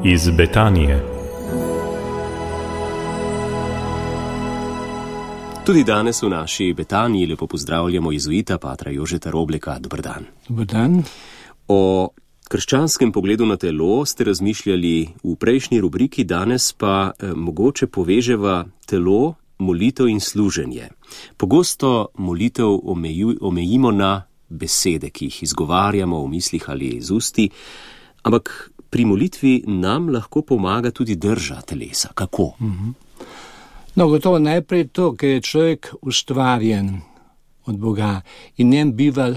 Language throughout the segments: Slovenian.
iz Betanije. Tudi danes v naši Betaniji lepo pozdravljamo jezuita patra Jožeta Robleka. Dober dan. Dober dan. O krščanskem pogledu na telo ste razmišljali v prejšnji rubriki, danes pa mogoče poveževa telo, molitev in služenje. Pogosto molitev omejimo na besede, ki jih izgovarjamo v mislih ali z usti, ampak pri molitvi nam lahko pomaga tudi drža telesa. Kako? No, gotovo najprej to, ker je človek ustvarjen od Boga in njem biva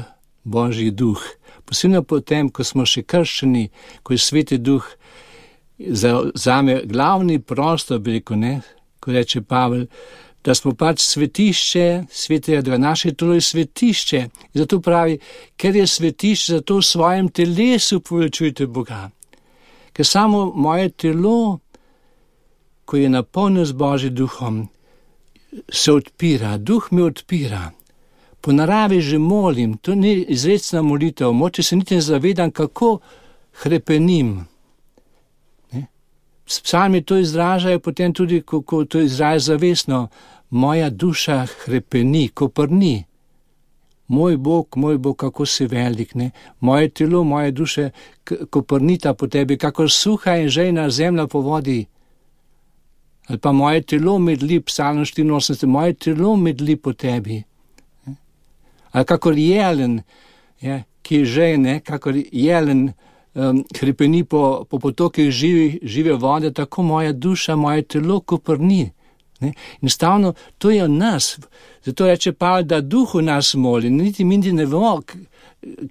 Božji duh. Posebno potem, ko smo še krščeni, ko je Sveti duh zame glavni prostor, bi rekel, ne, ko reče Pavel, da smo pač svetišče Svetega Duha, naše telo je svetišče. In zato pravi, ker je svetišče, zato v svojem telesu poveličujte Boga. Ker samo moje telo, ko je napolnjeno z Božjim duhom, se odpira, duh me odpira. Po naravi že molim, to ni izrecna molitev, moče se niti ne zavedam, kako hrepenim. Psalmi to izražajo, potem tudi, ko to izražajo zavestno, moja duša hrepeni, koprni. Moj Bog, kako si velik, ne? Moje telo, moje duše koprnita po tebi, kako suha in žejna zemlja po vodi. Ali pa moje telo medli, Psalm 84, moje telo medli po tebi. Ali kakor jelen, ki je žejne, kakor jelen hrepeni po potokih žive vode, tako moja duša, moje telo koprni. Enostavno, to je v nas. Zato reče Pavel, da duh v nas moli. Niti mi ne vemo,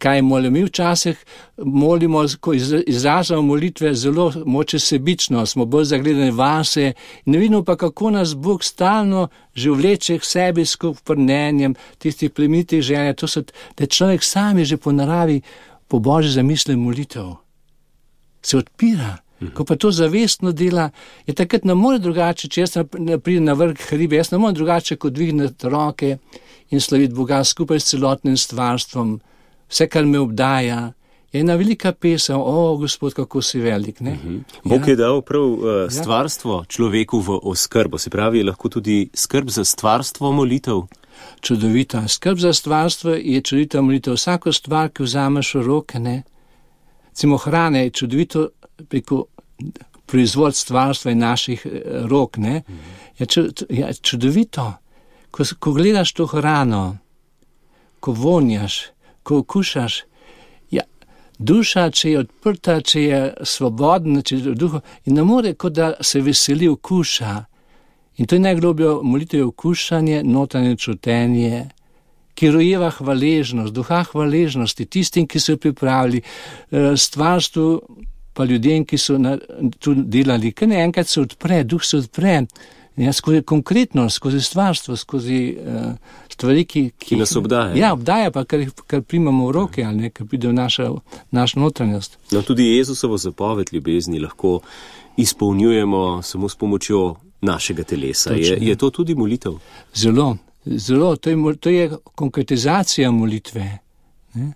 kaj molimo. Mi včasih molimo, ko izražamo molitve, zelo moče sebično, smo bolj zagledani vase. Ne vidimo pa, kako nas Bog stalno že vleče k sebi s koprnenjem tistih plemenitih želja. To so, da človek sam je že po naravi, po Božji zamisli molitev. Se odpira. Ko pa to zavestno dela, je takrat ne more drugače, če jaz pridem na vrh hribe, jaz ne more drugače, kot dvigniti roke in slaviti Boga skupaj s celotnim stvarstvom. Vse, kar me obdaja, je ena velika pesem, Gospod, kako si velik. Ne? Bog je dal prav stvarstvo človeku v oskrbo, se pravi, lahko tudi skrb za stvarstvo molitev. Čudovita. Skrb za stvarstvo je čudovita molitev. Vsako stvar, ki vzameš v roke, ne? Recimo hrane je čudovito preko proizvod stvarstva in naših rok, ne? Je čudovito. Ko gledaš to hrano, ko vonjaš, ko okušaš, duša, če je odprta, če je svobodna, če je v duhu, in ne more, kot da se veseli okuša. In to je najgloblje molitev, okušanje, notranje čutenje, ki rojeva hvaležnost, duha hvaležnosti, tistim, ki so pripravili stvarstvu, pa ljudem, ki so tu delali, ker ne enkrat se odpre, duh se odpre, skozi konkretnost, skozi stvarstvo, skozi stvari, ki nas obdaja. Ja, obdaja pa, kar primamo v roke, ali ne, kar pride v našo notranjost. No, tudi Jezusovo zapoved ljubezni lahko izpolnjujemo samo s pomočjo našega telesa. Je to tudi molitev? Zelo. To je konkretizacija molitve. Ne?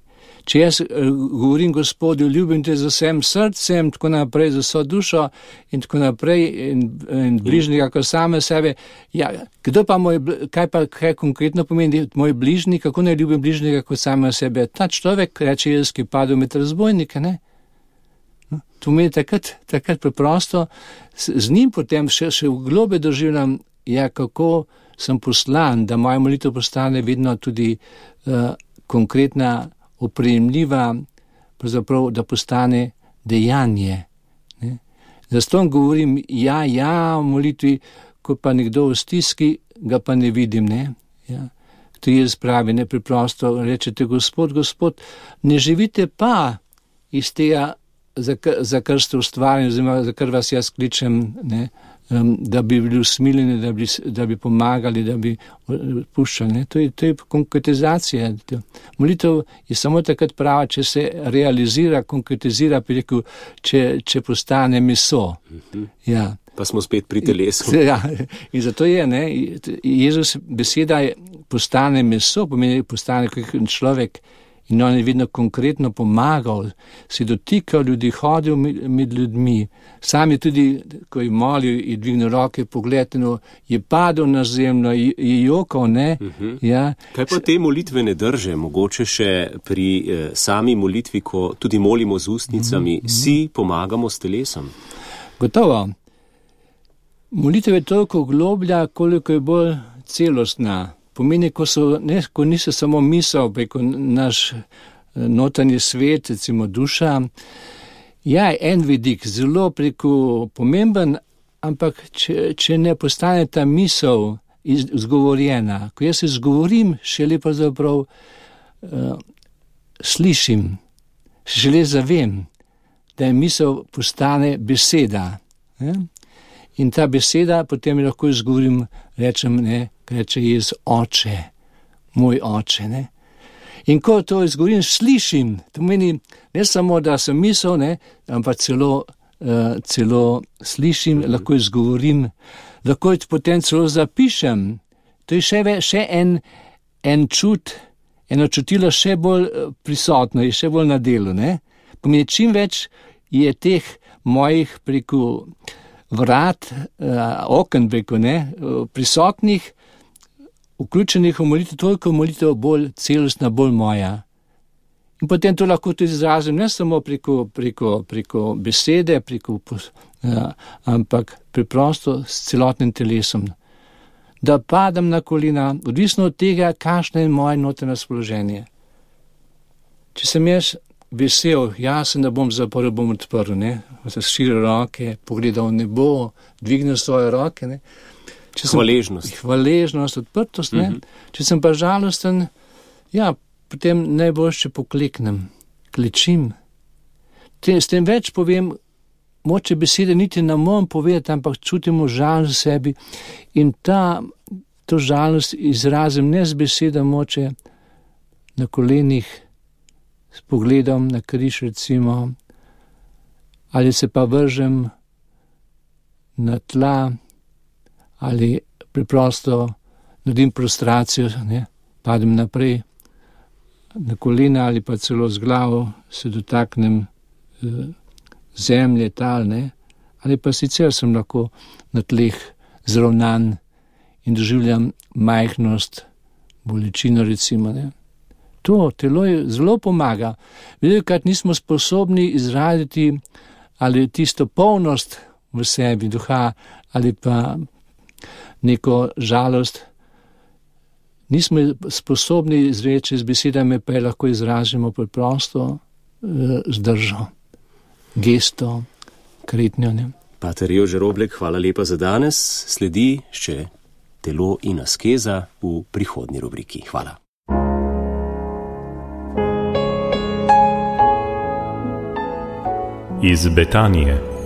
Če jaz govorim Gospodu, ljubim te z vsem srcem, tako naprej, z vso dušo in tako naprej, in bližnjega kot same sebe, kdo pa kaj konkretno pomeni moj bližnji, kako ne ljubim bližnjega kot same sebe? Ta človek, reče Jezus, ki padel med razbojnike, ne? No, to meni takrat preprosto, z njim potem še v globe doživljam, kako sem poslan, da moja molitev postane vedno tudi konkretna, opremljiva, pravzaprav, da postane dejanje. Ne? Zato govorim v molitvi, ko pa nekdo v stiski, ga pa ne vidim. Ne? Ja. To je spravi, ne preprosto, rečete, Gospod, ne živite pa iz tega, za kar ste ustvarjeni, oziroma za kar vas jaz kličem, ne? Da bi bili usmiljeni, da bi pomagali, da bi puščali. To je konkretizacija. Molitev je samo takrat prava, če se realizira, konkretizira, če postane meso. Ja. Pa smo spet pri telesu. Ja, in zato je, Jezus beseda postane meso, pomeni postane človek In on je vedno konkretno pomagal, se dotikal ljudi, hodil med ljudmi. Sam je tudi, ko je molil, je dvignil roke, pogledal, je padel na zemljo, je jokal, ne. Ja. Kaj pa te molitvene drže, mogoče še pri sami molitvi, ko tudi molimo z ustnicami, si pomagamo s telesom? Gotovo. Molitev je toliko globlja, koliko je bolj celostna. Pomeni, ko niso samo misel, preko naš notranji svet, recimo duša. Ja, en vidik, zelo preko pomemben, ampak če ne postane ta misel izgovorjena, ko jaz se izgovorim, šele pravzaprav slišim, šele zavem, da je misel postane beseda. In ta beseda potem lahko izgovorim, rečem, reče Jezus, oče, moj oče, ne. In ko to izgovorim, slišim, to pomeni ne samo, da sem misel, ne, ampak celo slišim, lahko izgovorim, lahko potem celo zapišem. To je še en čut, eno čutilo še bolj prisotno, je še bolj na delu, ne. Pomeni, čim več je teh mojih preko vrat, oken preko, ne, prisotnih, vključenih v molitev, toliko molitev bolj celostna, bolj moja. In potem to lahko tudi izrazim ne samo preko besede, ampak preprosto s celotnim telesom. Da padam na kolena, odvisno od tega, kakšno je moje notranje razpoloženje. Če sem jaz vesel, jasen, da bom zaprl, bom odprl, ne, razširil roke, pogledal v nebo, dvignil svoje roke, ne. Hvaležnost, odprtost, ne. Če sem pa žalosten, ja, potem najboljše pokleknem, klečim. S tem več povem, moče besede niti ne morem povedati, ampak čutimo žalost v sebi in to žalost izrazim ne z beseda, moče na kolenih, s pogledom na križ recimo, ali se pa vržem na tla, ali preprosto naredim prostracijo, ne, padem naprej na kolena ali pa celo z glavo se dotaknem zemlje, tal, ne, ali pa sicer sem lahko na tleh zravnan in doživljam majhnost, bolečino recimo, ne. To telo je zelo pomaga. Velikokrat nismo sposobni izraziti ali tisto polnost v sebi duha ali pa neko žalost. Nismo sposobni izreči z besedami, pa je lahko izražimo preprosto z držo, gesto, kretnjo. Pater Jože Roblek, hvala lepa za danes. Sledi še telo in askeza v prihodnji rubriki. Hvala. Iz Betanije.